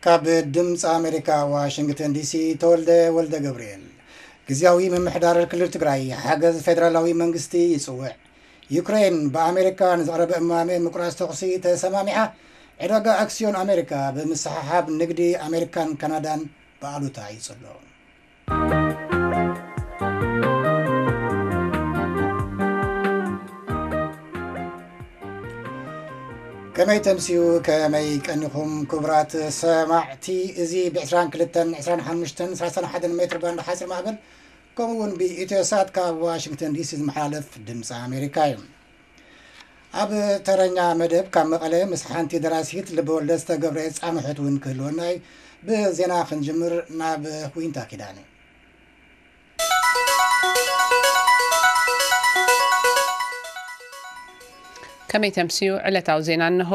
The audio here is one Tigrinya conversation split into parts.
ካብ ድምፂ ኣሜሪካ ዋሽንግተን ዲሲ ተወልደ ወልደ ገብርኤል። ግዝያዊ ምምሕዳር ክልል ትግራይ ሓገዝ ፌደራላዊ መንግስቲ ይፅውዕ። ዩክሬን ብኣሜሪካ ንዝቐረበ እማመ ምቁራፅ ተኹሲ ተሰማሚዓ። ዕዳጋ ኣክስዮን ኣሜሪካ ብምስሕሓብ ንግዲ ኣሜሪካን ካናዳን ብኣሉታ ይፅሎ። ከመይ ተምስዩ፣ ከመይ ቀኒኹም ክቡራት ሰማዕቲ? እዚ ብ22፣ 25፣ 31 ሜትር ባንድ ሓፂር ማዕበል ከምኡ እውን ብኢትዮ ሳት ካብ ዋሽንግተን ዲሲ ዝመሓላለፍ ድምፂ ኣሜሪካ እዩ። ኣብ ተረኛ መደብ ካብ መቐለ ምስ ሓንቲ ደራሲት ልበወለድ ዝተገብረ ፃምሕት እውን ክህልወና እዩ። ብዜና ክንጅምር ናብ ዊንታ ኪዳነ። ከመይ ተምስዩ ዕለታዊ ዜና እንሆ።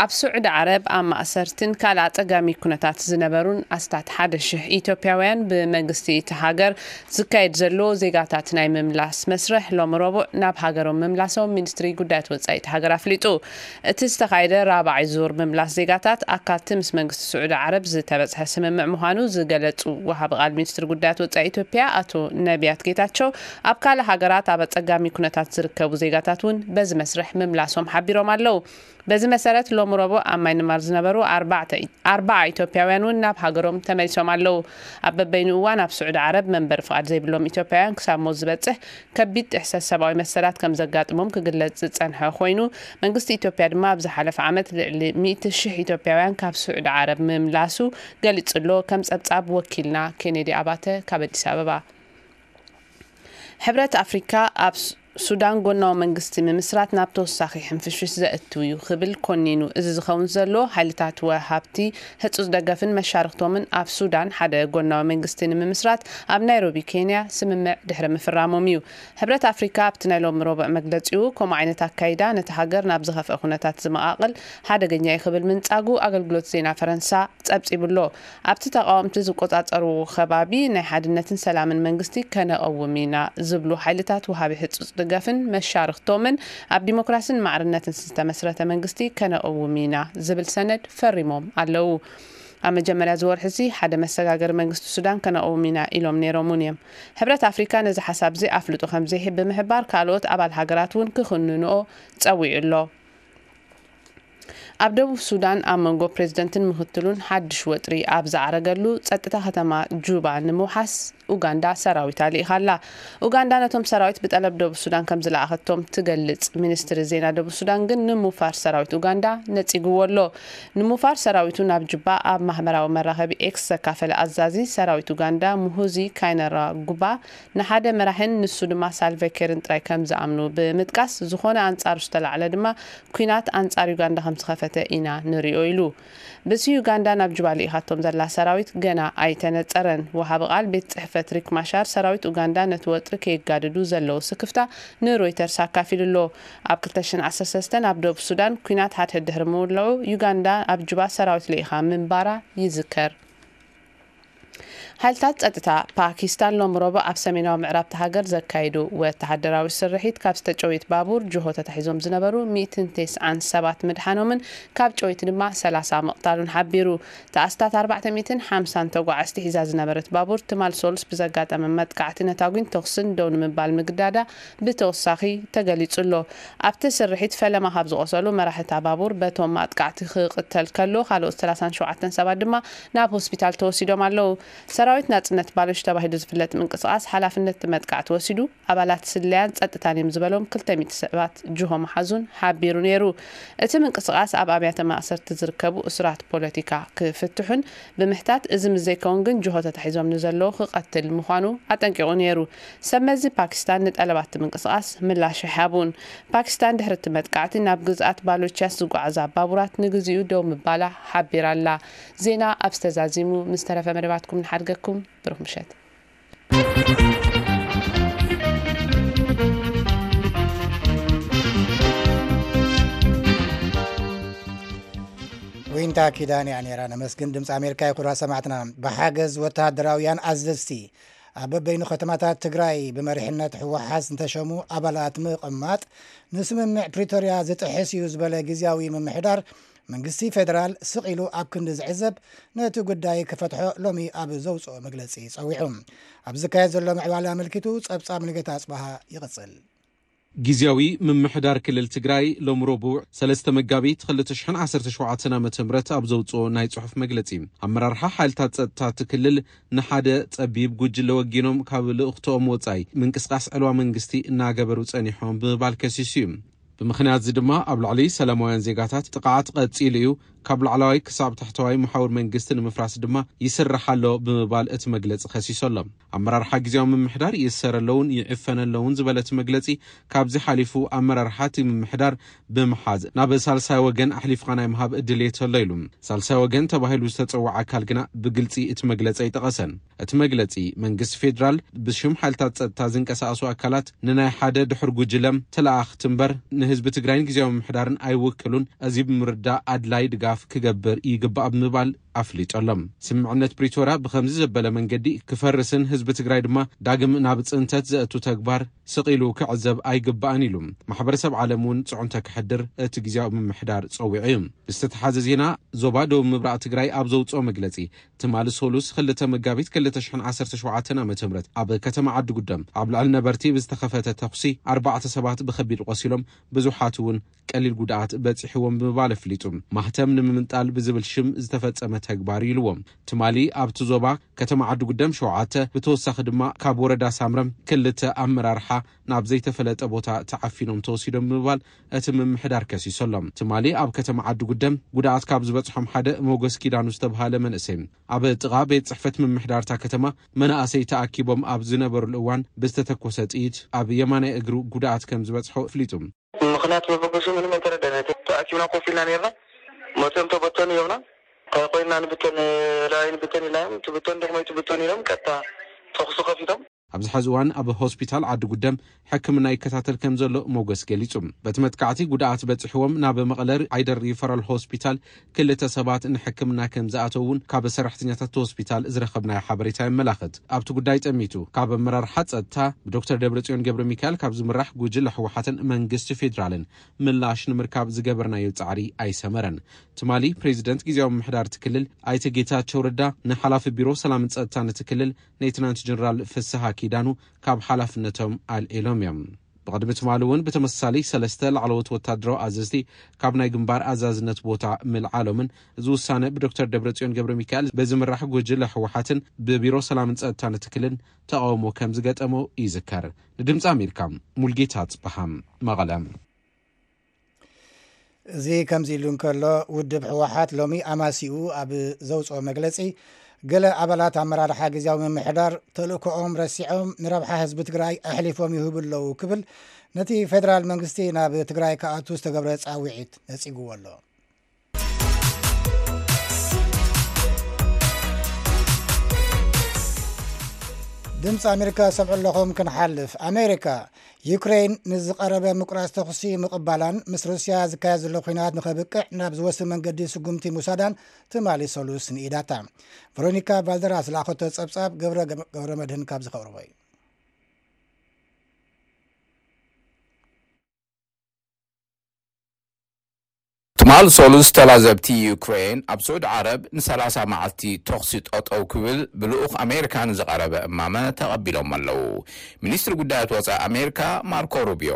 ኣብ ስዑዲ ዓረብ ኣብ ማእሰርትን ካልእ ኣጸጋሚ ኩነታት ዝነበሩን ኣስታት ሓደ ሽሕ ኢትዮጵያውያን ብመንግስቲ እቲ ሃገር ዝካየድ ዘሎ ዜጋታት ናይ ምምላስ መስርሕ ሎሚ ረቡዕ ናብ ሃገሮም ምምላሶም ሚኒስትሪ ጉዳያት ወጻኢ እቲ ሃገር ኣፍሊጡ። እቲ ዝተኻየደ ራብዓይ ዙር ምምላስ ዜጋታት ኣካልቲ ምስ መንግስቲ ስዑዲ ዓረብ ዝተበጽሐ ስምምዕ ምዃኑ ዝገለጹ ወሃቢ ቃል ሚኒስትሪ ጉዳያት ወጻኢ ኢትዮጵያ ኣቶ ነቢያት ጌታቸው፣ ኣብ ካልእ ሃገራት ኣብ ኣጸጋሚ ኩነታት ዝርከቡ ዜጋታት እውን በዚ መስርሕ ምምላሶም ሓቢሮም ኣለዉ። በዚ መሰረት ሎሚ ረቡዕ ኣብ ማይንማር ዝነበሩ ኣርባዕተ ኣርባዓ ኢትዮጵያውያን እውን ናብ ሃገሮም ተመሊሶም ኣለዉ። ኣብ በበይኑ እዋን ኣብ ስዑዲ ዓረብ መንበሪ ፍቓድ ዘይብሎም ኢትዮጵያውያን ክሳብ ሞት ዝበጽሕ ከቢድ ጥሕሰት ሰብኣዊ መሰላት ከም ዘጋጥሞም ክግለጽ ዝጸንሐ ኮይኑ፣ መንግስቲ ኢትዮጵያ ድማ ኣብ ዝሓለፈ ዓመት ልዕሊ ሚእቲ ሽሕ ኢትዮጵያውያን ካብ ስዑዲ ዓረብ ምምላሱ ገሊጹ ኣሎ። ከም ጸብጻብ ወኪልና ኬኔዲ ኣባተ ካብ ኣዲስ ኣበባ። ሕብረት ኣፍሪካ ኣብ ሱ- ሱዳን ጎናዊ መንግስቲ ምምስራት ናብ ተወሳኺ ሕንፍሽፍሽ ዘእትው እዩ ክብል ኮኒኑ። እዚ ዝኸውን ዘሎ ሓይልታት ወሃብቲ ህጹጽ ደገፍን መሻርክቶምን ኣብ ሱዳን ሓደ ጎናዊ መንግስቲ ንምምስራት ኣብ ናይሮቢ ኬንያ ስምምዕ ድሕሪ ምፍራሞም እዩ። ሕብረት ኣፍሪካ ኣብቲ ናይ ሎሚ ረቡዕ መግለጺኡ ከምኡ ዓይነት ኣካይዳ ነቲ ሃገር ናብ ዝኸፍአ ኩነታት ዝመቓቕል ሓደገኛ እዩ ክብል ምንጻጉ ኣገልግሎት ዜና ፈረንሳ ጸብጺቡ ኣሎ። ኣብቲ ተቓወምቲ ዝቆጻጸርዎ ከባቢ ናይ ሓድነትን ሰላምን መንግስቲ ከነቐውም ኢና ዝብሉ ሓይልታት ወሃቢ ህጹጽ ደገፍን መሻርኽቶምን ኣብ ዲሞክራስን ማዕርነትን ዝተመስረተ መንግስቲ ከነቐውም ኢና ዝብል ሰነድ ፈሪሞም ኣለዉ። ኣብ መጀመርያ ዝወርሒ እዚ ሓደ መሰጋገሪ መንግስቲ ሱዳን ከነቐውም ኢና ኢሎም ነይሮም እውን እዮም። ሕብረት ኣፍሪካ ነዚ ሓሳብ እዚ ኣፍልጦ ከም ዘይህብ ብምሕባር ካልኦት ኣባል ሃገራት እውን ክኽንንኦ ጸዊዑ ኣሎ። ኣብ ደቡብ ሱዳን ኣብ መንጎ ፕሬዝደንትን ምክትሉን ሓድሽ ወጥሪ ኣብ ዝዓረገሉ ጸጥታ ከተማ ጁባ ንምውሓስ ኡጋንዳ ሰራዊት ኣልኢኻ ኣላ። ኡጋንዳ ነቶም ሰራዊት ብጠለብ ደቡብ ሱዳን ከም ዝለኣኸቶም ትገልጽ። ሚኒስትሪ ዜና ደቡብ ሱዳን ግን ንምውፋር ሰራዊት ኡጋንዳ ነጺግዎ ኣሎ። ንምውፋር ሰራዊቱ ናብ ጁባ ኣብ ማህበራዊ መራኸቢ ኤክስ ዘካፈለ ኣዛዚ ሰራዊት ኡጋንዳ ሙሁዚ ካይነራ ጉባ ንሓደ መራሕን ንሱ ድማ ሳልቫ ኬርን ጥራይ ከም ዝኣምኑ ብምጥቃስ፣ ዝኾነ ኣንጻሩ ዝተላዕለ ድማ ኲናት ኣንጻር ዩጋንዳ ከም ዝኸፈተ ኢና ንሪኦ ኢሉ። ብሲ ዩጋንዳ ናብ ጁባ ልኢኻቶም ዘላ ሰራዊት ገና ኣይተነጸረን። ወሃቢ ቃል ቤት ጽሕፈት ሪክ ማሻር ሰራዊት ኡጋንዳ ነቲ ወጥሪ ከየጋድዱ ዘለዎ ስክፍታ ንሮይተርስ ኣካፊሉ ኣሎ። ኣብ ክልተ ሽሕን ዓሰርተ ሰለስተን ኣብ ደቡብ ሱዳን ኲናት ሓድሕድ ድሕሪ ምውላዑ ዩጋንዳ ኣብ ጁባ ሰራዊት ልኢኻ ምንባራ ይዝከር። ሓይልታት ጸጥታ ፓኪስታን ሎም ረቡዕ ኣብ ሰሜናዊ ምዕራብ እታ ሃገር ዘካየዱ ወተሃደራዊ ስርሒት ካብ ዝተጨውየት ባቡር ጅሆ ተታሒዞም ዝነበሩ ሚእትን ተስዓን ሰባት ምድሓኖምን ካብ ጨውይቲ ድማ ሰላሳ ምቕታሉን ሓቢሩ። ተኣስታት ኣርባዕተ ሚእትን ሓምሳን ተጓዓዝቲ ሒዛ ዝነበረት ባቡር ትማል ሶሉስ ብዘጋጠመ መጥቃዕቲ ነታጒን ተኹስን ደው ንምባል ምግዳዳ ብተወሳኺ ተገሊጹ ኣሎ። ኣብቲ ስርሒት ፈለማ ካብ ዝቖሰሉ መራሕታ ባቡር በቶም ኣጥቃዕቲ ክቕተል ከሎ፣ ካልኦት ሰላሳን ሸውዓተን ሰባት ድማ ናብ ሆስፒታል ተወሲዶም ኣለዉ። ሰራዊት ናጽነት ባሎች ተባሂሉ ዝፍለጥ ምንቅስቓስ ሓላፍነት መጥቃዕቲ ወሲዱ፣ ኣባላት ስለያን ጸጥታን እዮም ዝበሎም ክልተ ሚእቲ ሰባት ጅሆ መሓዙን ሓቢሩ ነይሩ። እቲ ምንቅስቓስ ኣብ ኣብያተ ማእሰርቲ ዝርከቡ እሱራት ፖለቲካ ክፍትሑን ብምሕታት፣ እዚ ምስ ዘይከውን ግን ጅሆ ተታሒዞም ንዘለዉ ክቐትል ምዃኑ ኣጠንቂቑ ነይሩ። ሰብ መዚ ፓኪስታን ንጠለባት ምንቅስቓስ ምላሽ ኣይሃቡን። ፓኪስታን ድሕሪ እቲ መጥቃዕቲ ናብ ግዝኣት ባሎችያስ ዝጓዓዛ ባቡራት ንግዚኡ ደው ምባላ ሓቢራ ኣላ። ዜና ኣብ ዝተዛዚሙ ምስ ተረፈ መደባትኩም ንሓድገኩም። ብሩኽ ምሸት። ዊንታ ኪዳን እያ ነይራ። ነመስግን። ድምፂ ኣሜሪካ ይኹራ ሰማዕትና። ብሓገዝ ወተሃደራውያን ኣዘዝቲ ኣብ በበይኑ ከተማታት ትግራይ ብመሪሕነት ህወሓት ዝተሸሙ ኣባላት ምቕማጥ ንስምምዕ ፕሪቶርያ ዝጥሕስ እዩ ዝበለ ግዝያዊ ምምሕዳር መንግስቲ ፌደራል ስቕ ኢሉ ኣብ ክንዲ ዝዕዘብ፣ ነቲ ጉዳይ ክፈትሖ ሎሚ ኣብ ዘውፅኦ መግለፂ ፀዊዑ። ኣብ ዝካየድ ዘሎ ምዕባለ ኣመልኪቱ ፀብፃብ ሙሉጌታ ኣፅበሃ ይቕፅል። ግዝያዊ ምምሕዳር ክልል ትግራይ ሎሚ ረቡዕ ሰለስተ መጋቢት ክልተ ሽሕን ዓሰርተ ሸውዓተን ዓመተ ምህረት ኣብ ዘውፅኦ ናይ ፅሑፍ መግለፂ፣ ኣመራርሓ ሓይልታት ፀጥታ እቲ ክልል ንሓደ ፀቢብ ጉጅለ ወጊኖም ካብ ልእኽትኦም ወፃኢ ምንቅስቃስ ዕልዋ መንግስቲ እናገበሩ ፀኒሖም ብምባል ከሲሱ እዩ። ብምኽንያት እዚ ድማ ኣብ ልዕሊ ሰላማውያን ዜጋታት ጥቕዓት ቀፂሉ እዩ፣ ካብ ላዕለዋይ ክሳብ ታሕተዋይ መሓውር መንግስቲ ንምፍራስ ድማ ይስራሕ ኣሎ ብምባል እቲ መግለፂ ከሲሱ ኣሎ። ኣመራርሓ ግዝያዊ ምምሕዳር ይእሰር ኣለውን ይዕፈን ኣለውን ዝበለ እቲ መግለፂ፣ ካብዚ ሓሊፉ ኣመራርሓ እቲ ምምሕዳር ብምሓዝ ናብ ሳልሳይ ወገን ኣሕሊፍካ ናይ ምሃብ ድሌት ኣሎ ኢሉ። ሳልሳይ ወገን ተባሂሉ ዝተፀውዐ ኣካል ግና ብግልፂ እቲ መግለፂ ኣይጠቐሰን። እቲ መግለጺ፣ መንግስቲ ፌደራል ብሽም ሓይልታት ጸጥታ ዝንቀሳቐሱ ኣካላት ንናይ ሓደ ድሑር ጉጅለ ተለኣኽቲ እምበር ንህዝቢ ትግራይን ግዝያዊ ምምሕዳርን ኣይውክሉን፣ እዚ ብምርዳእ ኣድላይ ድጋፍ ክገብር ይግባእ ብምባል ኣፍሊጡ ኣሎ። ስምምዕነት ፕሪቶርያ ብኸምዚ ዘበለ መንገዲ ክፈርስን ህዝቢ ትግራይ ድማ ዳግም ናብ ጽንተት ዘእቱ ተግባር ስቕ ኢሉ ክዕዘብ ኣይግባእን ኢሉ። ማሕበረሰብ ዓለም እውን ጽዕንቶ ከሕድር እቲ ግዝያዊ ምምሕዳር ጸዊዑ እዩ። ብዝተተሓዘ ዜና፣ ዞባ ደቡብ ምብራቕ ትግራይ ኣብ ዘውጽኦ መግለጺ፣ ትማሊ ሶሉስ ክልተ መጋቢት ክልተ ሽሕን ዓሰርተ ሸውዓተን ዓመተ ምህረት ኣብ ከተማ ዓዲ ጉደም ኣብ ልዕሊ ነበርቲ ብዝተኸፈተ ተኹሲ ኣርባዕተ ሰባት ብኸቢድ ቆሲሎም፣ ብዙሓት እውን ቀሊል ጉድኣት በጺሕዎም ብምባል ኣፍሊጡ። ማህተም ንምምንጣል ብዝብል ሽም ዝተፈጸመ ተግባር ኢልዎ። ትማሊ ኣብቲ ዞባ ከተማ ዓዲ ጉደም ሸውዓተ፣ ብተወሳኺ ድማ ካብ ወረዳ ሳምረ ክልተ ኣመራርሓ ናብ ዘይተፈለጠ ቦታ ተዓፊኖም ተወሲዶም ብምባል እቲ ምምሕዳር ከሲሱ ኣሎ። ትማሊ ኣብ ከተማ ዓዲ ጉደም ጉድኣት ካብ ዝበጽሖም ሓደ ሞገስ ኪዳኑ ዝተብሃለ መንእሰይ፣ ኣብ ጥቓ ቤት ጽሕፈት ምምሕዳር እታ ከተማ መናእሰይ ተኣኪቦም ኣብ ዝነበሩሉ እዋን ብዝተተኮሰ ጥይት ኣብ የማናይ እግሩ ጉድኣት ከም ዝበጽሖ ኣፍሊጡ። ምኽንያት መበገሱ ምንም ኣይተረዳእናን። ተኣኪብና ኮፍ ኢልና ነይርና። መፅኦም ተበተኑ ይብና። እንታይ ኮይንና ንብተን፣ ላዕሊ ንብተን ኢልና እዮም። ትብተን ድሕሞይ ትብተን ኢሎም ቀጥታ ተኹሲ ከፊቶም። ኣብዚ ሕዚ እዋን ኣብ ሆስፒታል ዓዲ ጉደም ሕክምና ይከታተል ከም ዘሎ ሞገስ ገሊጹ። በቲ መጥቃዕቲ ጉድኣት በጺሕዎም ናብ መቐለ ዓይደር ሪፈራል ሆስፒታል ክልተ ሰባት ንሕክምና ከም ዝኣተው እውን ካብ ሰራሕተኛታት እቲ ሆስፒታል ዝረኸብናዮ ሓበሬታ የመላኽት። ኣብቲ ጉዳይ ጠሚቱ ካብ ኣመራርሓ ጸጥታ ብዶክተር ደብረጽዮን ገብረ ሚካኤል ካብ ዝምራሕ ጉጅለ ህወሓትን መንግስቲ ፌዴራልን ምላሽ ንምርካብ ዝገበርናዮ ጻዕሪ ኣይሰመረን። ትማሊ ፕሬዚደንት ግዝያዊ ምምሕዳር እቲ ክልል ኣይተ ጌታቸው ረዳ ንሓላፊ ቢሮ ሰላምን ጸጥታን እቲ ክልል ሌትናንት ጀነራል ፍስሃ ኪዳኑ ካብ ሓላፍነቶም ኣልዒሎም እዮም። ብቕድሚ ትማሊ እውን ብተመሳሳሊ ሰለስተ ላዕለዎት ወታደራዊ ኣዘዝቲ ካብ ናይ ግንባር ኣዛዝነት ቦታ ምልዓሎምን፣ እዚ ውሳነ ብዶክተር ደብረጽዮን ገብረ ሚካኤል ብዝምራሕ ጉጅለ ህወሓትን ብቢሮ ሰላምን ጸጥታን እቲ ክልል ተቓውሞ ከም ዝገጠሞ ይዝከር። ንድምፂ ኣሜሪካ፣ ሙልጌታ ጽበሃ፣ መቐለ። እዚ ከምዚ ኢሉ እንከሎ፣ ውድብ ህወሓት ሎሚ ኣማሲኡ ኣብ ዘውፅኦ መግለፂ፣ ገለ ኣባላት ኣመራርሓ ግዝያዊ ምምሕዳር ተልእኮኦም ረሲዖም ንረብሓ ህዝቢ ትግራይ ኣሕሊፎም ይህቡ ኣለዉ ክብል ነቲ ፌደራል መንግስቲ ናብ ትግራይ ክኣቱ ዝተገብረ ፃውዒት ነፂግዎ ኣሎ። ድምፂ ኣሜሪካ ሰምዑ ኣለኹም። ክንሓልፍ፣ ኣሜሪካ ዩክሬን ንዝቐረበ ምቁራፅ ተኹሲ ምቕባላን ምስ ሩስያ ዝካየድ ዘሎ ኲናት ንኸብቅዕ ናብ ዝወስድ መንገዲ ስጉምቲ ምውሳዳን ትማሊ ሰሉስ ንኢዳታ። ቨሮኒካ ቫልደራስ ዝለኣኸቶ ጸብጻብ ገብረ፣ ገብረ መድህን ካብ ዝኸቕርቦ እዩ። ትማል ሶሉስ ተላዘብቲ ዩክሬን ኣብ ስዑድ ዓረብ ንሰላሳ መዓልቲ ተኹሲ ጠጠው ክብል ብልኡኽ ኣሜሪካ ንዝቐረበ እማመ ተቐቢሎም ኣለዉ። ሚኒስትሪ ጉዳያት ወፃኢ ኣሜሪካ ማርኮ ሩቢዮ።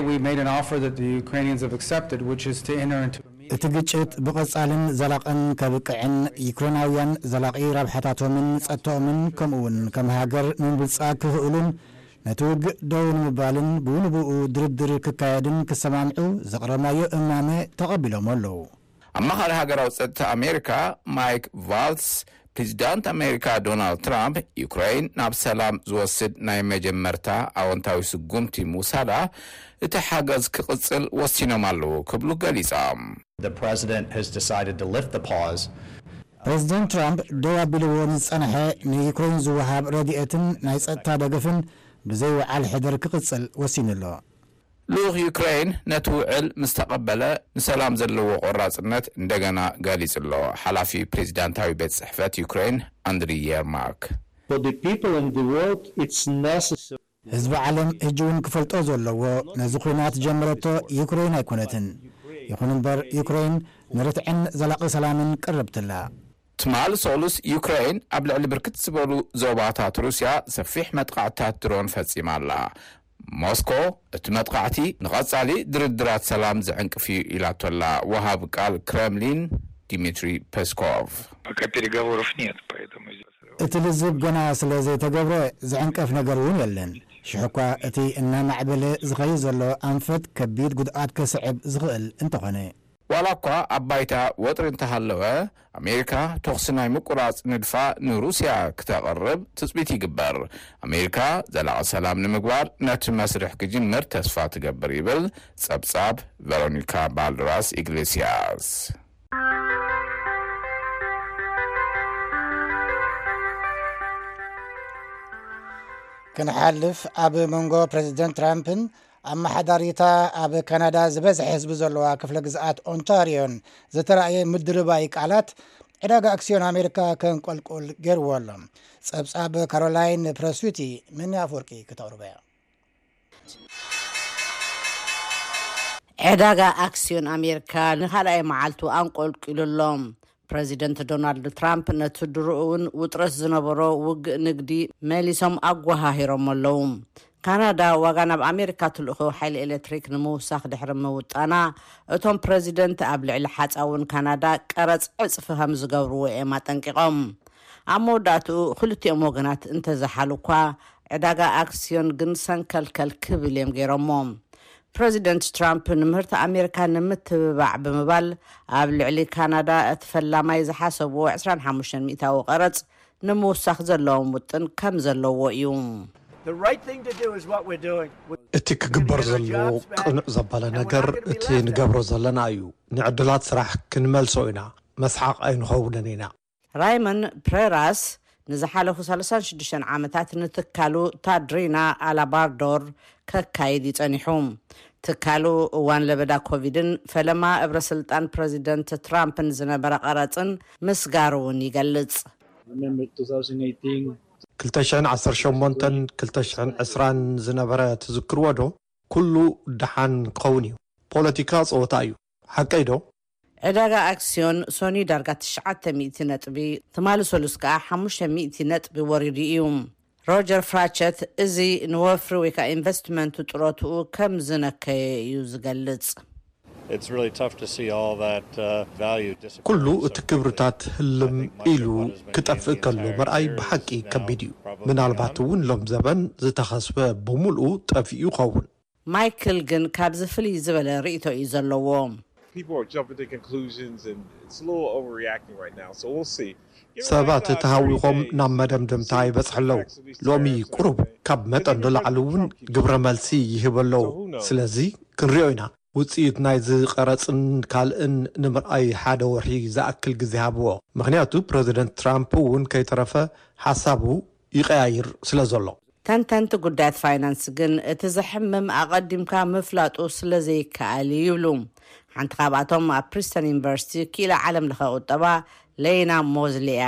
We made an offer that the Ukrainians have accepted, which is to enter into a meeting. እቲ ግጭት ብቐጻልን ዘላቕን ከብቅዕን ዩክሬናውያን ዘላቒ ረብሓታቶምን ጸጥታኦምን ከምኡውን ከም ሃገር ንምብልጻ ክኽእሉን ነቲ ውግእ ደው ንምባልን ብኡ ንብኡ ድርድር ክካየድን ክሰማምዑ ዘቕረብናዮ እማመ ተቐቢሎም ኣለዉ። ኣማኻሪ ሃገራዊ ጸጥታ ኣሜሪካ ማይክ ቫልስ፣ ፕሬዚዳንት ኣሜሪካ ዶናልድ ትራምፕ ዩክሬን ናብ ሰላም ዝወስድ ናይ መጀመርታ ኣወንታዊ ስጉምቲ ምውሳዳ እቲ ሓገዝ ክቕጽል ወሲኖም ኣለዉ ክብሉ ገሊጾም። The president has decided to lift the pause. ፕሬዚደንት ትራምፕ ደው ኣቢልዎ ንዝጸንሐ ንዩክሬን ዝወሃብ ረድኤትን ናይ ጸጥታ ደገፍን ብዘይ ውዓል ሕደር ክቕጽል ወሲኑ ኣሎ። ልኡኽ ዩክሬን ነቲ ውዕል ምስ ተቐበለ ንሰላም ዘለዎ ቆራጽነት እንደገና ገሊጹ ኣሎ። ሓላፊ ፕሬዚዳንታዊ ቤት ጽሕፈት ዩክሬን ኣንድሪ የርማክ። For the people in the world, it's necessary. ህዝቢ ዓለም ሕጂ እውን ክፈልጦ ዘለዎ፣ ነዚ ኲናት ጀመረቶ ዩክሬን ኣይኮነትን። ይኹን እምበር፣ ዩክሬን ንርትዕን ዘላቒ ሰላምን ቅርብትላ። ትማል ሶሉስ ዩክሬን ኣብ ልዕሊ ብርክት ዝበሉ ዞባታት ሩስያ ሰፊሕ መጥቃዕትታት ድሮን ፈጺማ ኣላ። ሞስኮ እቲ መጥቃዕቲ ንቐጻሊ ድርድራት ሰላም ዝዕንቅፍ እዩ ኢላቶላ ወሃብ ቃል ክረምሊን ዲሚትሪ ፔስኮቭ። Пока переговоров нет, поэтому здесь... እቲ ልዝብ ገና ስለ ዘይተገብረ ዝዕንቀፍ ነገር እውን የለን። ሽሕኳ እቲ እናማዕበለ ዝኸይድ ዘሎ ኣንፈት ከቢድ ጉድኣት ከስዕብ ዝኽእል እንተኾነ። ዋላ እኳ ኣብ ባይታ ወጥሪ እንተሃለወ፣ ኣሜሪካ ተኹሲ ናይ ምቁራጽ ንድፋ ንሩስያ ክተቕርብ ትጽቢት ይግበር። ኣሜሪካ ዘላቒ ሰላም ንምግባር ነቲ መስርሕ ክጅምር ተስፋ ትገብር ይብል ጸብጻብ ቨሮኒካ ባልደራስ ኢግሌሲያስ። ክንሓልፍ፣ ኣብ መንጎ ፕረዚደንት ትራምፕን ኣመሓዳሪታ ኣብ ካናዳ ዝበዝሐ ህዝቢ ዘለዋ ክፍለ ግዝኣት ኦንታሪዮን ዝተራእየ ምድርባይ ቃላት ዕዳጋ ኣክስዮን ኣሜሪካ ከንቆልቁል ገይርዎ ኣሎ። ጸብጻብ ካሮላይን ፕረሱቲ፣ መኒ ኣፍወርቂ ክተቕርበያ። ዕዳጋ ኣክስዮን ኣሜሪካ ንኻልኣይ መዓልቱ ኣንቆልቂሉ ኣሎ። ፕረዚደንት ዶናልድ ትራምፕ ነቲ ድሮኡ እውን ውጥረት ዝነበሮ ውግእ ንግዲ መሊሶም ኣጓሃሂሮም ኣለዉ። ካናዳ ዋጋ ናብ ኣሜሪካ ትልእኮ ሓይሊ ኤሌክትሪክ ንምውሳኽ ድሕሪ ምውጣና፣ እቶም ፕረዚደንት ኣብ ልዕሊ ሓፃውን ካናዳ ቀረፅ ዕፅፊ ከም ዝገብርዎ እዮም ኣጠንቂቖም። ኣብ መወዳእትኡ ክልቲኦም ወገናት እንተዘሓሉ እኳ፣ ዕዳጋ ኣክስዮን ግን ሰንከልከል ክብል እዮም ገይሮሞ። ፕረዚደንት ትራምፕ ንምህርቲ ኣሜሪካ ንምትብባዕ ብምባል፣ ኣብ ልዕሊ ካናዳ እቲ ፈላማይ ዝሓሰብዎ ዕስራን ሓሙሽተን ሚእታዊ ቀረጽ ንምውሳኽ ዘለዎም ውጥን ከም ዘለዎ እዩ። እቲ ክግበር ዘለዎ ቅኑዕ ዘበለ ነገር እቲ ንገብሮ ዘለና እዩ። ንዕድላት ስራሕ ክንመልሶ ኢና። መስሓቕ ኣይንኸውንን ኢና። ራይመን ፕሬራስ ንዝሓለፉ ሰላሳን ሽዱሽተን ዓመታት ንትካሉ ታድሪና ኣላባርዶር ከካይድ ይጸኒሑ። ትካሉ እዋን ለበዳ ኮቪድን ፈለማ እብረ ስልጣን ፕረዚደንት ትራምፕን ዝነበረ ቀረጽን ምስጋር እውን ይገልጽ። ክልተ ሽሕን ዓሰርተ ሸሞንተን ክልተ ሽሕን ዕስራን ዝነበረ ትዝክርዎ ዶ? ኩሉ ደሓን ክኸውን እዩ። ፖለቲካ ጸወታ እዩ። ሓቀይ ዶ? ዕዳጋ ኣክስዮን ሶኒ ዳርጋ ትሽዓተ ሚእቲ ነጥቢ፣ ትማሊ ሰሉስ ከኣ ሓሙሽተ ሚእቲ ነጥቢ ወሪዱ እዩ። ሮጀር ፍራቸት እዚ ንወፍሪ ወይ ከዓ ኢንቨስትመንቱ ጥሮትኡ ከም ዝነከየ እዩ ዝገልጽ። ኩሉ እቲ ክብርታት ህልም ኢሉ ክጠፍእ ከሎ ምርኣይ ብሓቂ ከቢድ እዩ። ምናልባት እውን ሎም ዘበን ዝተኸስበ ብምልኡ ጠፊኡ ይኸውን። ማይክል ግን ካብዚ ፍልይ ዝበለ ርእይቶ እዩ ዘለዎ። ሰባት ተሃዊኾም ናብ መደምደምታ ይበጽሑ ኣለዉ። ሎሚ ቁሩብ ካብ መጠን ንላዕሊ እውን ግብረ መልሲ ይህቡ ኣለዉ። ስለዚ ክንሪኦ ኢና። ውጽኢት ናይዚ ቀረጽን ካልእን ንምርኣይ ሓደ ወርሒ ዝኣክል ግዜ ሃብዎ። ምኽንያቱ ፕረዚደንት ትራምፕ እውን ከይተረፈ ሓሳቡ ይቀያይር ስለ ዘሎ። ተንተንቲ ጉዳያት ፋይናንስ ግን እቲ ዘሕምም ኣቐዲምካ ምፍላጡ ስለ ዘይከኣል እዩ ይብሉ። ሓንቲ ካብኣቶም ኣብ ፕሪስተን ዩኒቨርሲቲ ክኢላ ዓለም ለኸ ቁጠባ ሌይና ሞዝሊ እያ።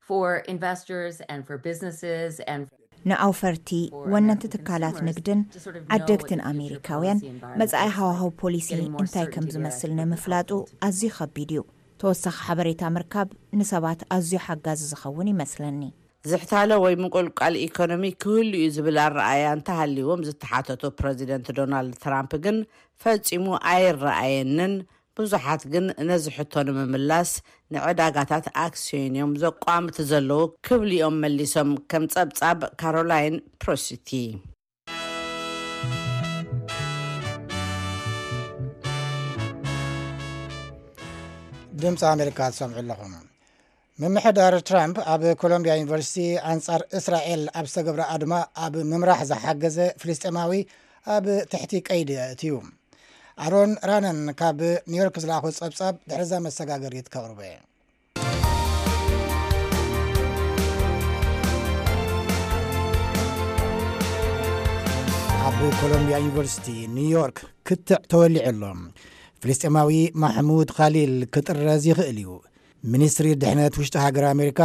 For investors and for businesses and ንኣውፈርቲ፣ ወነንቲ ትካላት ንግድን ዓደግትን ኣሜሪካውያን መጻኢ ሃዋህው ፖሊሲ እንታይ ከም ዝመስል ንምፍላጡ ኣዝዩ ከቢድ እዩ። ተወሳኺ ሓበሬታ ምርካብ ንሰባት ኣዝዩ ሓጋዚ ዝኸውን ይመስለኒ። ዝሕታለ ወይ ምቁልቃል ኢኮኖሚ ክህሉ እዩ ዝብል ኣረኣእያ እንተሃልዎም ዝተሓተቱ ፕረዚደንት ዶናልድ ትራምፕ ግን ፈጺሙ ኣይረኣየንን። ብዙሓት ግን ነዚ ሕቶ ንምምላስ ንዕዳጋታት ኣክስዮን እዮም ዘቋምቱ ዘለዉ ክብሉ እዮም መሊሶም፣ ከም ጸብጻብ ካሮላይን ፕሮሲቲ። ድምፂ ኣሜሪካ ትሰምዑ ኣለኹም። ምምሕዳር ትራምፕ ኣብ ኮሎምቢያ ዩኒቨርሲቲ ኣንጻር እስራኤል ኣብ ዝተገብረ ኣድማ ኣብ ምምራሕ ዝሓገዘ ፍልስጤማዊ ኣብ ትሕቲ ቀይዲ ኣእትዩ። ኣሮን ራነን ካብ ኒውዮርክ ዝለኣኾ ጸብጻብ ድሕርዛ መሰጋገሪት ከቕርቦ እየ። ኣብ ኮሎምቢያ ዩኒቨርሲቲ ኒውዮርክ ክትዕ ተወሊዑ ኣሎ። ፍልስጤማዊ ማሕሙድ ኻሊል ክጥረዝ ይኽእል እዩ። ሚኒስትሪ ድሕነት ውሽጢ ሃገር ኣሜሪካ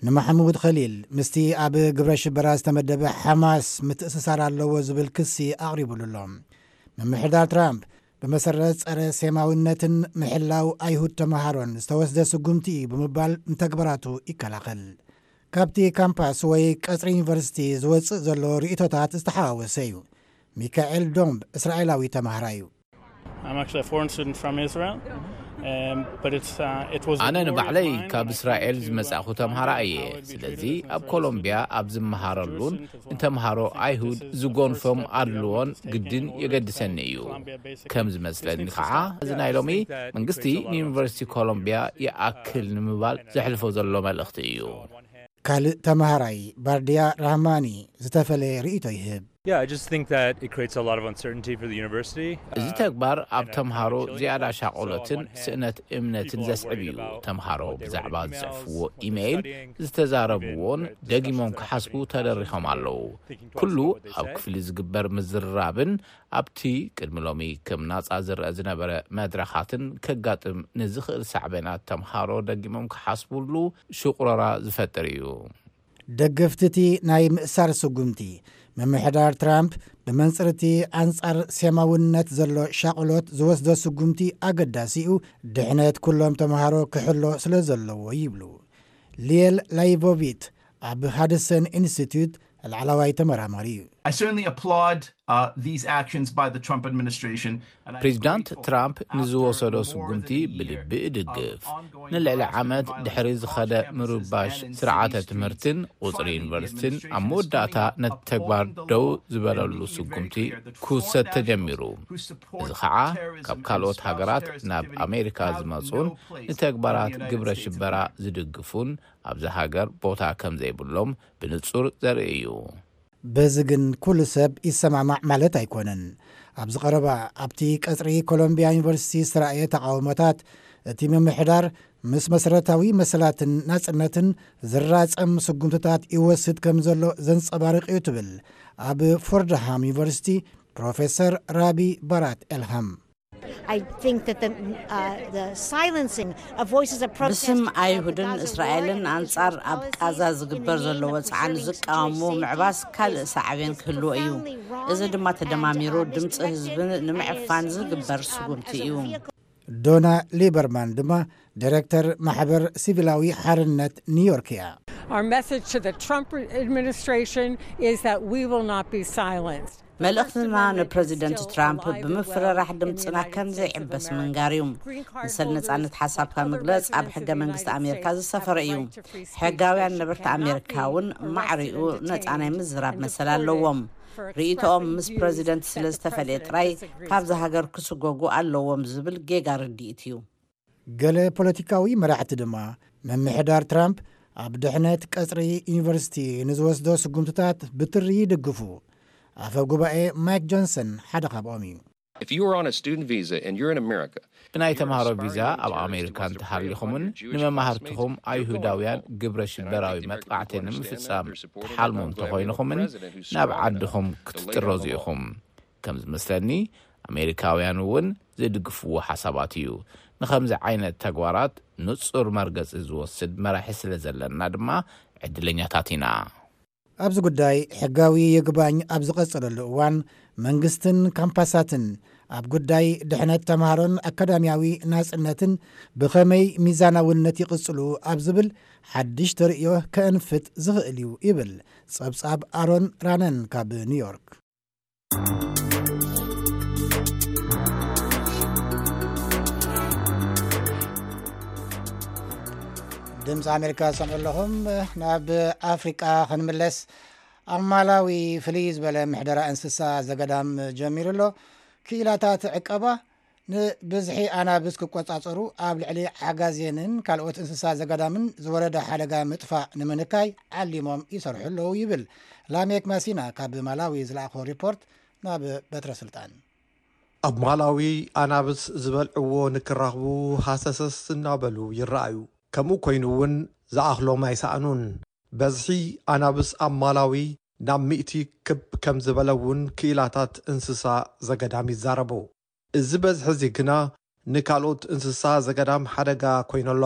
ንማሕሙድ ኸሊል ምስቲ ኣብ ግብረ ሽበራ ዝተመደበ ሓማስ ምትእስሳር ኣለዎ ዝብል ክሲ ኣቕሪቡሉ ኣሎ። ምምሕዳር ትራምፕ ብመሰረት ጸረ ሴማውነትን ምሕላው ኣይሁድ ተምሃሮን ዝተወስደ ስጉምቲ እዩ ብምባል ንተግባራቱ ይከላኸል። ካብቲ ካምፓስ ወይ ቀጽሪ ዩኒቨርሲቲ ዝወጽእ ዘሎ ርእይቶታት ዝተሓዋወሰ እዩ። ሚካኤል ዶምብ እስራኤላዊ ተምሃራይ እዩ። I'm actually a foreign student from Israel. Um, but it's, uh, it was a ኣነ war of ንባዕለይ mine, ካብ and I እስራኤል came to, uh, ዝመጻእኹ ተምሃራ Colombia, እየ። how it would be ስለዚ treated as foreign ኮሎምቢያ students. ኣብ ዝመሃረሉን Jerusalem to ንተምሃሮ Jerusalem, ኣይሁድ this is the ዝጎንፎም first, uh, ኣድልዎን Jerusalem ግድን came to የገድሰኒ እዩ። Colombia, basically. ከም ዝመስለኒ This makes ከዓ us stop. እዚ Yeah, ናይ I just ሎሚ think that it መንግስቲ creates a lot of ንዩኒቨርሲቲ uncertainty, ኮሎምቢያ uh, ይኣክል ንምባል ዘሕልፎ ዘሎ መልእኽቲ እዩ። ካልእ ተምሃራይ ባርድያ ራህማኒ ዝተፈለየ ርእይቶ ይህብ። Yeah, I just think that it creates a lot of uncertainty for the university. እዚ Uh, ተግባር ኣብ and a ተምሃሮ kind of chilling ዝያዳ effect. So on ሻቕሎትን one hand, ስእነት እምነትን people are ዘስዕብ worried እዩ። about ተምሃሮ what they read ብዛዕባ in emails, ዝጽሕፍዎ what they're ኢሜይል studying, ዝተዛረብዎን even the ደጊሞም discussions are ክሓስቡ happening in ተደሪኾም classrooms, ኣለዉ። thinking twice ኩሉ about what they ኣብ say. ክፍሊ ዝግበር ምዝርራብን ኣብቲ ቅድሚ ሎሚ ከም ናጻ ዝረአ ዝነበረ መድረኻትን ከጋጥም ንዝኽእል ሳዕቤናት ተምሃሮ ደጊሞም ክሓስቡሉ ሽቑረራ ዝፈጥር እዩ። ደገፍቲ እቲ ናይ ምእሳር ስጉምቲ፣ ምምሕዳር ትራምፕ ብመንጽር እቲ ኣንጻር ሴማውነት ዘሎ ሻቕሎት ዝወስዶ ስጉምቲ ኣገዳሲ እዩ፣ ድሕነት ኩሎም ተምሃሮ ክሕሎ ስለ ዘለዎ ይብሉ። ሊየል ላይቮቪት ኣብ ሃድሰን ኢንስቲትዩት ላዕለዋይ ተመራማሪ እዩ። I certainly applaud uh, these actions by the Trump administration. And I am ፕሬዚዳንት grateful ትራምፕ after ንዝወሰዶ more ስጉምቲ than a year ብልቢ of እድግፍ። ongoing ንልዕሊ harassment and ዓመት violence ድሕሪ on ዝኸደ campuses ምርባሽ and in ስርዓተ city streets, ትምህርትን ቁፅሪ finally the ዩኒቨርሲቲን ኣብ administration is መወዳእታ coming up, ነቲ ተግባር holding the ደው line, and ዝበለሉ making it very ስጉምቲ clear that the ክውሰድ foreign ተጀሚሩ። nationals who support እዚ ከዓ terrorism ካብ and ካልኦት espouse ሃገራት terrorist ናብ activity ኣሜሪካ have ዝመፁን no place in the ንተግባራት United ግብረ States of ሽበራ America. ዝድግፉን ኣብዚ ሃገር ቦታ ከም ዘይብሎም ብንጹር ዘርኢ እዩ። በዚ ግን ኩሉ ሰብ ይሰማማዕ ማለት ኣይኮነን። ኣብዚ ቀረባ ኣብቲ ቀጽሪ ኮሎምቢያ ዩኒቨርሲቲ ዝተራእየ ተቓውሞታት፣ እቲ ምምሕዳር ምስ መሰረታዊ መሰላትን ናጽነትን ዝራጸም ስጉምትታት ይወስድ ከም ዘሎ ዘንጸባርቕ እዩ ትብል ኣብ ፎርድሃም ዩኒቨርሲቲ ፕሮፌሰር ራቢ ባራት ኤልሃም። I think that the, uh, the silencing of voices of protest ብስም of the ኣይሁድን Gaza እስራኤልን war and ኣንጻር Israel's ኣብ policies ቃዛ in the ዝግበር name ዘሎ of ወጽዓን preserving ዝቃወሙ Jewish safety ምዕባስ ካልእ is, ሳዕቤን is ክህልዎ እዩ። profoundly wrong. እዚ ድማ It's, ተደማሚሩ um, ድምፂ disconnected ህዝብን and ንምዕፋን is ዝግበር used, um, ስጉምቲ as a እዩ። vehicle. ዶና ሊበርማን ድማ ዳይሬክተር ማሕበር ሲቪላዊ ሓርነት ኒውዮርክ እያ። Our message to the Trump administration is that we will not be silenced. መልእኽትና ንፕረዚደንት ትራምፕ ብምፍርራሕ ድምፅና ከም ዘይዕበስ ምንጋር እዩ። ንሰል ነፃነት ሓሳብካ ምግለፅ ኣብ ሕገ መንግስቲ ኣሜሪካ ዝሰፈረ እዩ። ሕጋውያን ነበርቲ ኣሜሪካ እውን ማዕሪኡ ነፃ ናይ ምዝራብ መሰል ኣለዎም። ርእይቶኦም ምስ ፕረዚደንት ስለ ዝተፈልየ ጥራይ ካብዚ ሃገር ክስጎጉ ኣለዎም ዝብል ጌጋ ርድኢት እዩ። ገለ ፖለቲካዊ መራሕቲ ድማ ምምሕዳር ትራምፕ ኣብ ድሕነት ቀጽሪ ዩኒቨርሲቲ ንዝወስዶ ስጉምትታት ብትሪ ይድግፉ። ኣፈ ጉባኤ ማይክ ጆንሰን ሓደ ካብኦም እዩ። If you are on a student visa and you're in America, ብናይ ተምሃሮ ቪዛ ኣብ ኣሜሪካ እንተሃሊኹምን ንመማህርትኹም ኣይሁዳውያን ግብረ ሽበራዊ መጥቃዕቲ ንምፍጻም ትሓልሙ እንተኾይንኹምን ናብ ዓድኹም ክትጥረዙ ኢኹም። ከም ዝመስለኒ ኣሜሪካውያን እውን ዝድግፍዎ ሓሳባት እዩ። ንኸምዚ ዓይነት ተግባራት ንጹር መርገጺ ዝወስድ መራሒ ስለ ዘለና ድማ ዕድለኛታት ኢና። ኣብዚ ጉዳይ ሕጋዊ ይግባኝ ኣብ ዝቐጸለሉ እዋን መንግስትን ካምፓሳትን ኣብ ጉዳይ ድሕነት ተምሃሮን ኣካዳሚያዊ ናጽነትን ብኸመይ ሚዛናውነት ይቕጽሉ ኣብ ዝብል ሓድሽ ተርእዮ ከእንፍት ዝኽእል እዩ ይብል ጸብጻብ ኣሮን ራነን ካብ ኒውዮርክ። ድምፂ ኣሜሪካ ዝሰምዑ ኣለኹም። ናብ ኣፍሪቃ ክንምለስ። ኣብ ማላዊ ፍልይ ዝበለ ምሕደራ እንስሳ ዘገዳም ጀሚሩ ኣሎ። ክኢላታት ዕቀባ ንብዝሒ ኣናብስ ክቆጻጸሩ ኣብ ልዕሊ ዓጋዜንን ካልኦት እንስሳ ዘገዳምን ዝወረደ ሓደጋ ምጥፋእ ንምንካይ ዓሊሞም ይሰርሑ ኣለዉ ይብል ላሜክ ማሲና ካብ ማላዊ ዝለኣኾ ሪፖርት ናብ በትረ ስልጣን። ኣብ ማላዊ ኣናብስ ዝበልዕዎ ንክራኽቡ ሃሰሰስ እናበሉ ይረኣዩ። ከምኡ ኮይኑ እውን ዝኣኽሎም ኣይሰኣኑን። በዝሒ ኣናብስ ኣብ ማላዊ ናብ ሚእቲ ክብ ከም ዝበለ እውን ክኢላታት እንስሳ ዘገዳም ይዛረቡ። እዚ በዝሒ እዚ ግና ንካልኦት እንስሳ ዘገዳም ሓደጋ ኮይኑ ኣሎ።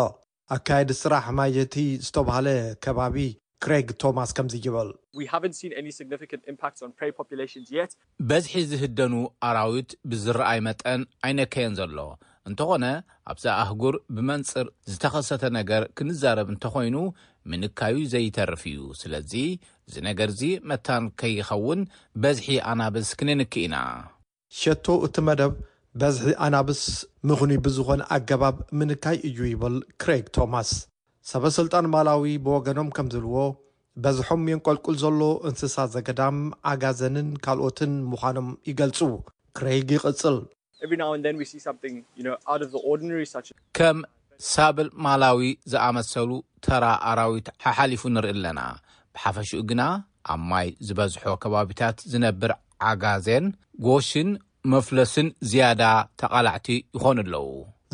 ኣካየዲ ስራሕ ማየቲ ዝተባህለ ከባቢ ክሬግ ቶማስ ከምዚ ይብል። We haven't seen any significant impacts on prey populations yet. በዝሒ ዝህደኑ ኣራዊት ብዝረኣይ መጠን ኣይነከየን ዘሎ። እንተኾነ ኣብዛ ኣህጉር ብመንጽር ዝተኸሰተ ነገር ክንዛረብ እንተኾይኑ ምንካዩ ዘይተርፍ እዩ። ስለዚ እዚ ነገርዚ መታን ከይኸውን በዝሒ ኣናብስ ክንንክ ኢና። ሸቶ እቲ መደብ በዝሒ ኣናብስ ምኽኑይ ብዝኾነ ኣገባብ ምንካይ እዩ ይብል ክሬግ ቶማስ። ሰበ ስልጣን ማላዊ ብወገኖም ከም ዝብልዎ በዝሖም የንቆልቁል ዘሎ እንስሳ ዘገዳም ዓጋዘንን ካልኦትን ምዃኖም ይገልጹ። ክሬግ ይቕጽል። Every now and then we see something, you know, out of the ordinary, such as ከም ሳብል ማላዊ ዝኣመሰሉ ተራ ኣራዊት ሓሓሊፉ ንርኢ ኣለና። ብሓፈሽኡ ግና ኣብ ማይ ዝበዝሖ ከባቢታት ዝነብር ዓጋዜን ጎሽን መፍለስን ዝያዳ ተቓላዕቲ ይኾኑ ኣለዉ።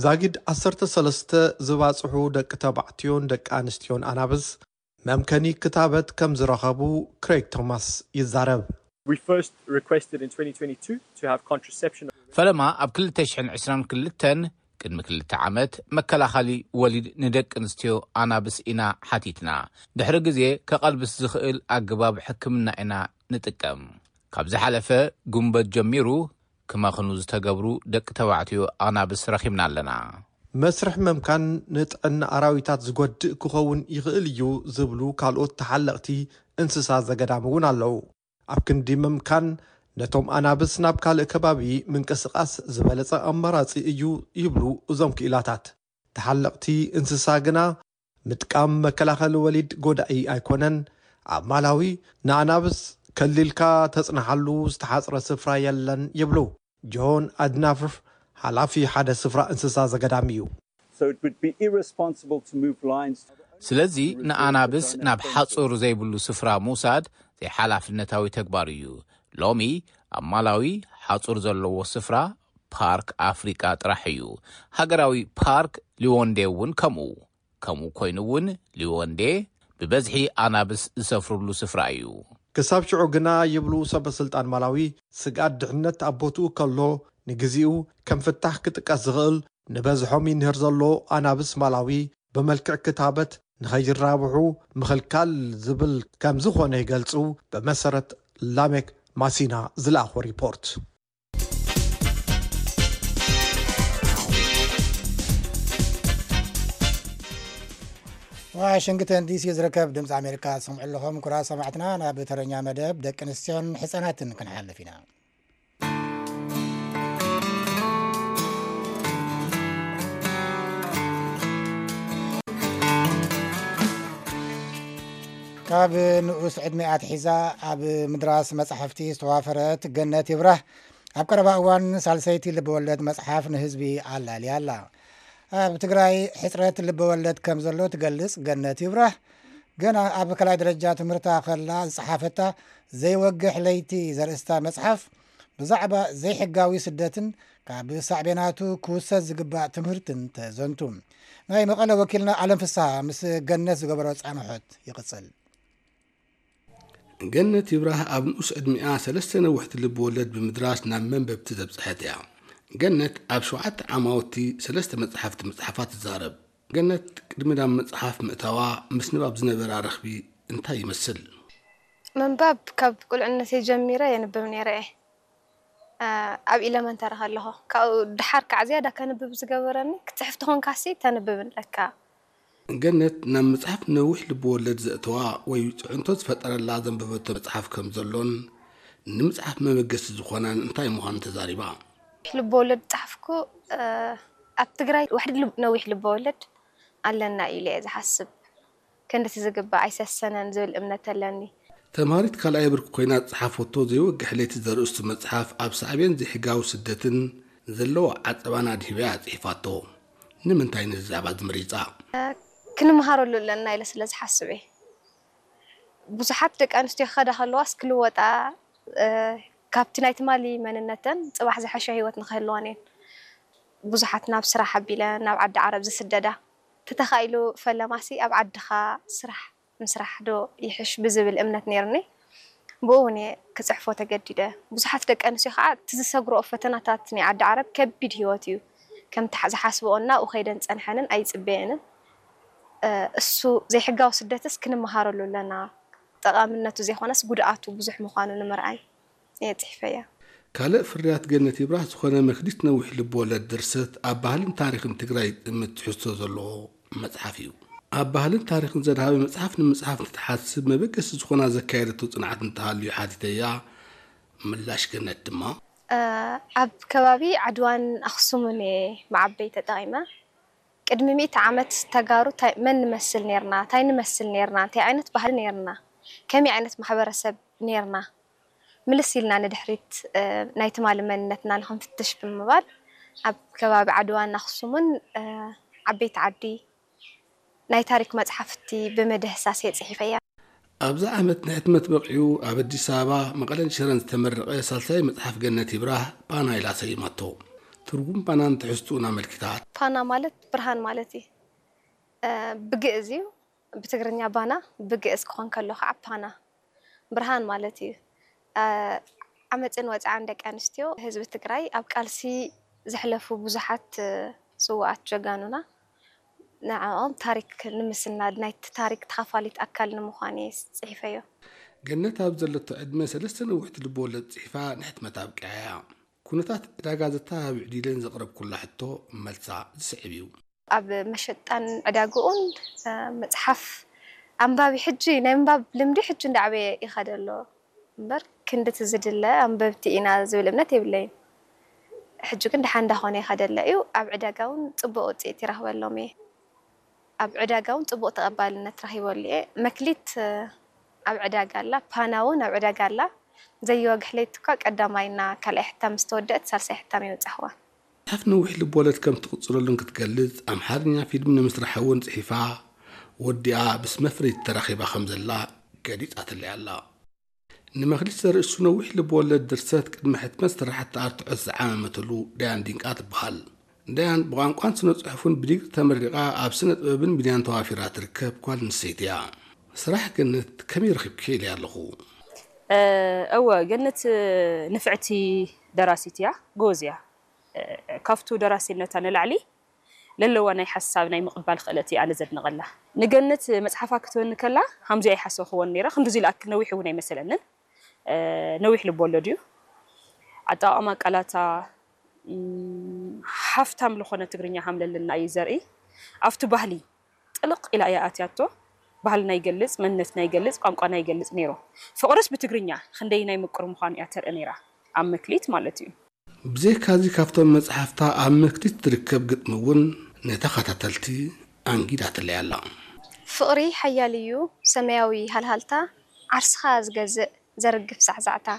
ዛጊድ ዓሰርተ ሰለስተ ዝባጽሑ ደቂ ተባዕትዮን ደቂ ኣንስትዮን ኣናብስ መምከኒ ክታበት ከም ዝረኸቡ ክሬግ ቶማስ ይዛረብ። We first requested in twenty twenty-two to have contraception. ፈለማ ኣብ ክልተ ሽሕን ዕስራን ክልተን ቅድሚ ክልተ ዓመት መከላኸሊ ወሊድ ንደቂ ኣንስትዮ ኣናብስ ኢና ሓቲትና። ድሕሪ ግዜ ከቐልብስ ዝኽእል ኣገባብ ሕክምና ኢና ንጥቀም። ካብ ዝሓለፈ ጉንበት ጀሚሩ ክመኽኑ ዝተገብሩ ደቂ ተባዕትዮ ኣናብስ ረኺብና ኣለና። መስርሕ መምካን ንጥዕና ኣራዊታት ዝጎድእ ክኸውን ይኽእል እዩ ዝብሉ ካልኦት ተሓለቕቲ እንስሳ ዘገዳም እውን ኣለዉ። ኣብ ክንዲ ምምካን ነቶም ኣናብስ ናብ ካልእ ከባቢ ምንቅስቓስ ዝበለጸ ኣማራጺ እዩ ይብሉ እዞም ክኢላታት። ተሓለቕቲ እንስሳ ግና ምጥቃም መከላኸሊ ወሊድ ጎዳኢ ኣይኮነን። ኣብ ማላዊ ንኣናብስ ከሊልካ ተጽንሓሉ ዝተሓጽረ ስፍራ የለን ይብሉ። ጆን ኣድናፍር ሓላፊ ሓደ ስፍራ እንስሳ ዘገዳም እዩ። So it would be irresponsible to move lines. ስለዚ ንኣናብስ ናብ ሓጹር ዘይብሉ ስፍራ ምውሳድ ዘይሓላፍነታዊ ተግባር እዩ። ሎሚ ኣብ ማላዊ ሓጹር ዘለዎ ስፍራ ፓርክ ኣፍሪቃ ጥራሕ እዩ። ሃገራዊ ፓርክ ሊወንዴ እውን ከምኡ። ከምኡ ኮይኑ እውን ሊወንዴ ብበዝሒ ኣናብስ ዝሰፍርሉ ስፍራ እዩ። ክሳብ ሽዑ ግና ይብሉ ሰበ ስልጣን ማላዊ፣ ስግኣት ድሕነት ኣብ ቦትኡ ከሎ ንግዚኡ ከም ፍታሕ ክጥቀስ ዝኽእል ንበዝሖም ይንህር ዘሎ ኣናብስ ማላዊ ብመልክዕ ክታበት ንኸይራብሑ ምኽልካል ዝብል ከም ዝኾነ ይገልጹ። ብመሰረት ላሜክ ማሲና ዝለኣኾ ሪፖርት። ዋሽንግተን ዲሲ ዝርከብ ድምፂ ኣሜሪካ ትሰምዑ ኣለኹም። ኩራ ሰማዕትና፣ ናብ ተረኛ መደብ ደቂ ኣንስትዮን ህፃናትን ክንሓልፍ ኢና። ካብ ንኡስ ዕድሜ ኣትሒዛ ኣብ ምድራስ መጻሕፍቲ ዝተዋፈረት ገነት ይብራህ ኣብ ቀረባ እዋን ሳልሰይቲ ልብወለድ መጽሓፍ ንህዝቢ ኣላልያ ኣላ። ኣብ ትግራይ ሕጽረት ልብወለድ ከም ዘሎ ትገልጽ ገነት ይብራህ፣ ገና ኣብ ካልኣይ ደረጃ ትምህርታ ከላ ዝጸሓፈታ ዘይወግሕ ለይቲ ዘርእስታ መጽሓፍ ብዛዕባ ዘይሕጋዊ ስደትን ካብ ሳዕቤናቱ ክውሰድ ዝግባእ ትምህርትን ተዘንቱ። ናይ መቐለ ወኪልና ኣለም ፍስሃ ምስ ገነት ዝገበሮ ጻንሖት ይቕጽል። ገነት ይብራህ ኣብ ንኡስ ዕድሚኣ ሰለስተ ነዋሕቲ ልብ ወለድ ብምድራስ ናብ መንበብቲ ዘብጽሐት እያ። ገነት ኣብ ሸውዓተ ዓማውቲ ሰለስተ መጽሓፍቲ ምጽሓፋ ትዛረብ። ገነት ቅድሚ ናብ መጽሓፍ ምእታዋ ምስ ንባብ ዝነበራ ረኽቢ እንታይ ይመስል? ምንባብ ካብ ቁልዕነተይ ጀሚረ የንብብ ነይረ እየ። ኣብ ኢለመንተሪ ከለኹ ካብኡ ድሓር ከዓ ዝያዳ ከንብብ ዝገበረኒ ክትፅሕፍ ተኾንካሲ ተንብብ ኣለካ። ገነት ናብ መጽሓፍ ነዊሕ ልብ ወለድ ዘእተዋ ወይ ጽዕንቶ ዝፈጠረላ ዘንበበቶ መጽሓፍ ከም ዘሎን ንምጽሓፍ መበገሲ ዝኾናን እንታይ ምዃኑ ተዛሪባ። ልብ ወለድ ዝፀሓፍኩ ኣብ ትግራይ ዋሕዲ ነዊሕ ልብ ወለድ ኣለና ኢለ እየ ዝሓስብ። ክንድቲ ዝግባእ ኣይሰሰነን ዝብል እምነት ኣለኒ። ተምሃሪት ካልኣይ ብርኪ ኮይና ዝጸሓፈቶ ዘይወግሕ ለይቲ ዘርእስቱ መጽሓፍ ኣብ ሳዕቤን ዘይሕጋዊ ስደትን ዘለዎ ዓጸባን ኣድሂባ እያ ጽሒፋቶ። ንምንታይ ነዚ ዛዕባ ዝምሪጻ? ክንምሃረሉ ኣለና ኢለ ስለ ዝሓስብ እየ። ብዙሓት ደቂ ኣንስትዮ ክኸዳ ከለዋስ ክልወጣ ካብቲ ናይ ትማሊ መንነተን ጽባሕ ዝሐሸ ህይወት ንክህልወን እየን። ብዙሓት ናብ ስራሕ ኣቢለን ናብ ዓዲ ዓረብ ዝስደዳ። ተተኻኢሉ ፈለማሲ ኣብ ዓድኻ ስራሕ ምስራሕ ዶ ይሕሽ ብዝብል እምነት ነይርኒ። ብኡ እውን እየ ክፅሕፎ ተገዲደ። ብዙሓት ደቂ ኣንስትዮ ከዓ እቲ ዝሰግረኦ ፈተናታት ናይ ዓዲ ዓረብ ከቢድ ህይወት እዩ። ከምቲ ዝሓስበኦን ናብኡ ከይደን ፀንሐንን ኣይፅበየንን። እሱ ዘይሕጋዊ ስደትስ ክንመሃረሉ ኣለና። ጠቓምነቱ ዘይኮነስ ጉድኣቱ ብዙሕ ምዃኑ ንምርኣይ እየ ጽሒፈያ። ካልእ ፍርያት ገነት ይብራህ ዝኾነ መክሊት ነዊሕ ልብወለድ ድርሰት ኣብ ባህልን ታሪኽን ትግራይ ዝጥምት ትሕዝቶ ዘለዎ መጽሓፍ እዩ። ኣብ ባህልን ታሪኽን ዘድሃበ መጽሓፍ ንምጽሓፍ እንትትሓስብ መበገሲ ዝኾና ዘካየደቶ ጽንዓት እንተሃልዩ ሓቲተያ። ምላሽ ገነት ድማ ኣብ ከባቢ ዓድዋን ኣኽሱምን እየ መዓበይ ተጠቒመ። ቅድሚ ሚእቲ ዓመት ተጋሩ ታይ መን ንመስል ኔርና፣ ታይ ንመስል ኔርና፣ እንታይ ዓይነት ባህሊ ኔርና፣ ከመይ ዓይነት ማሕበረሰብ ኔርና፣ ምልስ ኢልና ንድሕሪት ናይ ትማሊ መንነትና ንኽንፍትሽ ብምባል ኣብ ከባቢ ዓድዋን ኣኽሱምን ዓበይቲ ዓዲ ናይ ታሪክ መፅሓፍቲ ብምድህሳስ እየ ፅሒፈያ። ኣብዚ ዓመት ንሕትመት በቒዑ ኣብ ኣዲስ ኣበባ፣ መቐለን ሽረን ዝተመረቐ ሳልሳይ መፅሓፍ ገነት ይብራህ ፓና ኢላ ሰይማቶ። ትርጉም ፓናን ትሕዝትኡን ኣመልኪታ። ፓና ማለት ብርሃን ማለት እዩ። ብግእዝ እዩ፣ ብትግርኛ ባና፣ ብግእዝ ክኾን ከሎ ከዓ ፓና ብርሃን ማለት እዩ። ዓመፅን ወፅዓን ደቂ ኣንስትዮ ህዝቢ ትግራይ ኣብ ቃልሲ ዘሕለፉ ብዙሓት ስውኣት ጀጋኑና ንዕኦም ታሪክ ንምስናድ ናይቲ ታሪክ ተኻፋሊት ኣካል ንምዃን እየ ፅሒፈዮ። ገነት ኣብ ዘለቶ ዕድመ ሰለስተ ነውሕቲ ልብወለድ ፅሒፋ ንሕትመት ኣብቂዓ እያ። ኩነታት ዕዳጋ ዘተባብዕ ድዩ ኢለን ዘቕረብኩላ ሕቶ መልሳ ዝስዕብ እዩ። ኣብ መሸጣን ዕዳግኡን መፅሓፍ ኣንባቢ ሕጂ ናይ ምንባብ ልምዲ ሕጂ እንዳዓበየ ይኸደ ኣሎ እምበር ክንድቲ ዝድለ ኣንበብቲ ኢና ዝብል እምነት የብለይን። ሕጂ ግን ደሓን እንዳኾነ ይኸደ ኣሎ እዩ። ኣብ ዕዳጋ እውን ፅቡቕ ውፅኢት ይረኽበሎም እየ። ኣብ ዕዳጋ እውን ፅቡቕ ተቐባልነት ረኺበሉ እየ። መክሊት ኣብ ዕዳጋ ኣላ፣ ፓና እውን ኣብ ዕዳጋ ኣላ። ዘየወግሕ ለይቲ እኳ ቀዳማይና ካልኣይ ሕታም ምስ ተወደአት ሳልሳይ ሕታም የብፃሕዋ። መፅሓፍ ነዊሕ ልብወለድ ከም ትቕፅለሉን ክትገልፅ ኣምሓርኛ ፊልም ንምስራሕ እውን ፅሒፋ ወዲኣ ምስ መፍረይቲ ተራኺባ ከም ዘላ ገሊፃትለይ ኣላ። ንመኽሊት ዘርእስቱ ነዊሕ ልብወለድ ድርሰት ቅድሚ ሕትመት ስራሕቲ ኣርትዖት ዝዓመመትሉ ዳያን ዲንቃ ትበሃል። ዳያን ብቋንቋን ስነ ፅሑፍን ብዲግሪ ተመሪቓ ኣብ ስነ ጥበብን ሚድያን ተዋፊራ ትርከብ ጓል ኣንስተይቲ እያ። ስራሕ ገነት ከመይ ረኺብክዮ ኢለያ ኣለኹ። እወ ገነት ንፍዕቲ ደራሲት እያ፣ ጎበዝ እያ። ካብቱ ደራሲነታ ንላዕሊ ለለዋ ናይ ሓሳብ ናይ ምቕባል ክእለት እየ ኣነ ዘድንቐላ። ንገነት መፅሓፋ ክትበኒ ከላ ከምዚ ኣይሓሰብክዎን ነይረ፣ ክንድዚ ዝኣክል ነዊሕ እውን ኣይመሰለንን። ነዊሕ ልቦለድ እዩ። ኣጠቓቕማ ቃላታ ሓፍታም ልኾነ ትግርኛ ሃምለልና እዩ ዘርኢ። ኣብቲ ባህሊ ጥልቕ ኢላ እያ ኣትያቶ። ባህልና ይገልፅ፣ መንነትና ይገልፅ፣ ቋንቋና ይገልፅ ነይሩ። ፍቕርስ ብትግርኛ ክንደይ ናይ ምቁር ምዃኑ እያ ተርኢ ነይራ፣ ኣብ መክሊት ማለት እዩ። ብዘይካዚ ካብቶም መፅሓፍታ ኣብ መክሊት ትርከብ ግጥሚ እውን ንተኸታተልቲ ኣንጊዳትለይ ኣላ። ፍቕሪ ሓያል እዩ ሰማያዊ ሃልሃልታ፣ ዓርስኻ ዝገዝእ ዘርግፍ ዛዕዛዕታ።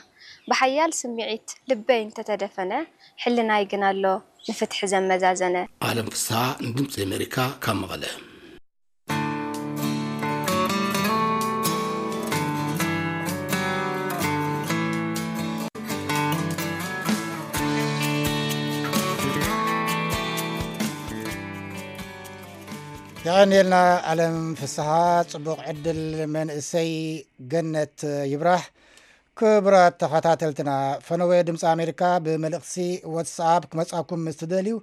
ብሓያል ስምዒት ልበይ እንተተደፈነ፣ ሕልናይ ግን ኣሎ ንፍትሒ ዘመዛዘነ። ኣለም ፍስሃ ንድምፂ ኣሜሪካ ካብ መቐለ። የቐንየልና ኣለም ፍስሃ። ፅቡቕ ዕድል መንእሰይ ገነት ይብራህ። ክቡራት ተኸታተልትና፣ ፈነወ ድምፂ ኣሜሪካ ብመልእኽቲ ዋትስኣፕ ክመፃኩም ምስ ትደልዩ፣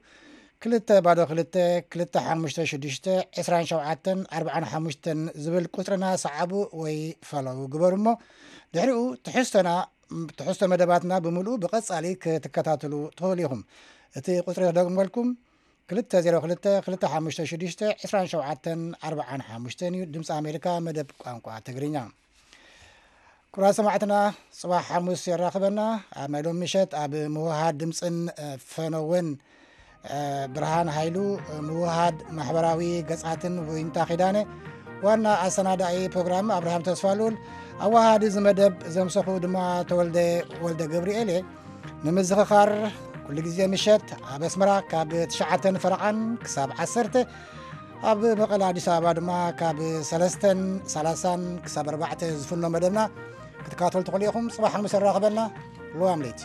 ክልተ ባዶ ክልተ ክልተ ሓሙሽተ ሽዱሽተ ዕስራን ሸውዓተን ኣርባዓን ሓሙሽተን ዝብል ቁፅርና ሰዓቡ ወይ ፈለዉ ግበሩ እሞ፣ ድሕሪኡ ትሕዝቶና ትሕዝቶ መደባትና ብምሉኡ ብቐፃሊ ክትከታተሉ ትኽእሉ ኢኹም። እቲ ቁፅሪ ክደግመልኩም፣ ክልተ ዜሮ ክልተ ክልተ ሓሙሽተ ሽዱሽተ ዕስራን ሸውዓተን ኣርባዓን ሓሙሽተን እዩ። ድምፂ ኣሜሪካ መደብ ቋንቋ ትግርኛ። ክቡራት ሰማዕትና፣ ፅባሕ ሓሙስ የራኽበና። ኣብ ናይ ሎም ምሸት ኣብ ምውሃድ ድምፅን ፈነወን ብርሃን ሃይሉ፣ ምውሃድ ማሕበራዊ ገፃትን ዊንታ ኪዳነ፣ ዋና ኣሰናዳኢ ፕሮግራም ኣብርሃም ተስፋልኡል፣ ኣዋሃዲ እዚ መደብ ዘምሰኹ ድማ ተወልደ ወልደ ገብርኤል እየ። ንምዝኽኻር ኩሉ ግዜ ምሸት ኣብ ኣስመራ ካብ ትሽዓተን ፈረቓን ክሳብ ዓሰርተ፣ ኣብ መቐለ ኣዲስ ኣበባ ድማ ካብ ሰለስተን ሰላሳን ክሳብ ኣርባዕተ ዝፍኖ መደብና ክትከታተሉ ትኽእሉ ኢኹም። ጽባሕ ሓሙስ የራኽበና። ልዋም ለይቲ።